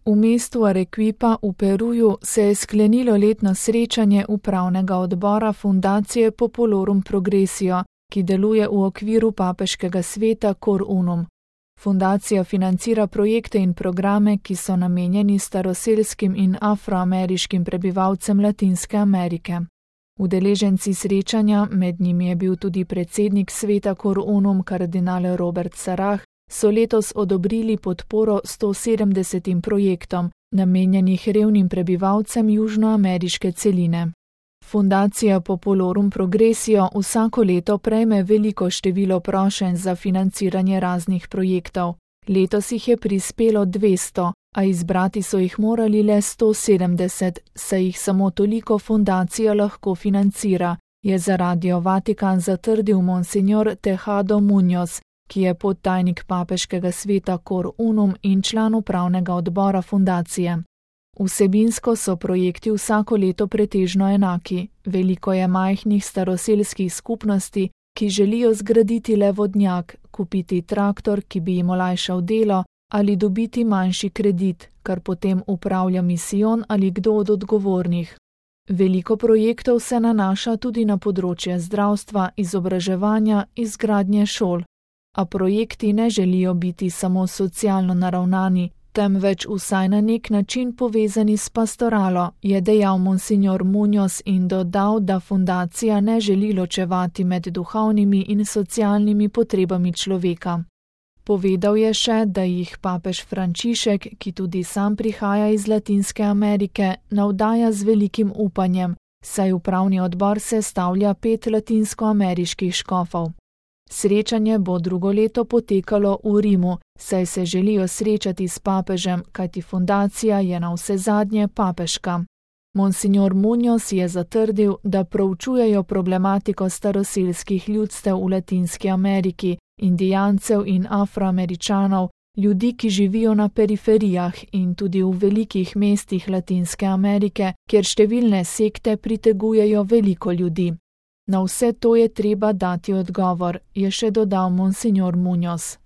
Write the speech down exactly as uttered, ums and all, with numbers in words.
V mestu Arequipa v Peruju se je sklenilo letno srečanje upravnega odbora Fundacije Populorum Progressio, ki deluje v okviru papeškega sveta Cor Unum. Fundacija financira projekte in programe, ki so namenjeni staroselskim in afroameriškim prebivalcem Latinske Amerike. Udeleženci srečanja, med njimi je bil tudi predsednik sveta Cor Unum kardinal Robert Sarah, so letos odobrili podporo sto sedemdesetim projektom, namenjenih revnim prebivalcem južnoameriške celine. Fundacija Populorum Progressio vsako leto prejme veliko število prošenj za financiranje raznih projektov. Letos jih je prispelo dvesto, a izbrati so jih morali le sto sedemdeset, saj jih samo toliko fundacija lahko financira, je za Radio Vatikan zatrdil monsignor Tejado Muñoz, ki je podtajnik papeškega sveta Cor Unum in član upravnega odbora fundacije. Vsebinsko so projekti vsako leto pretežno enaki. Veliko je majhnih staroselskih skupnosti, ki želijo zgraditi le vodnjak, kupiti traktor, ki bi jim olajšal delo, ali dobiti manjši kredit, kar potem upravlja misijon ali kdo od odgovornih. Veliko projektov se nanaša tudi na področje zdravstva, izobraževanja, izgradnje šol. A projekti ne želijo biti samo socialno naravnani, temveč vsaj na nek način povezani s pastoralo, je dejal monsignor Muñoz in dodal, da fundacija ne želi ločevati med duhovnimi in socialnimi potrebami človeka. Povedal je še, da jih papež Frančišek, ki tudi sam prihaja iz Latinske Amerike, navdaja z velikim upanjem, saj upravni odbor sestavlja pet latinskoameriških škofov. Srečanje bo drugo leto potekalo v Rimu, saj se želijo srečati s papežem, kajti fundacija je navsezadnje papeška. Monsignor Muñoz je zatrdil, da proučujejo problematiko staroselskih ljudstev v Latinski Ameriki, indijancev in afroameričanov, ljudi, ki živijo na periferijah in tudi v velikih mestih Latinske Amerike, kjer številne sekte pritegujejo veliko ljudi. Na vse to je treba dati odgovor, je še dodal monsignor Muñoz.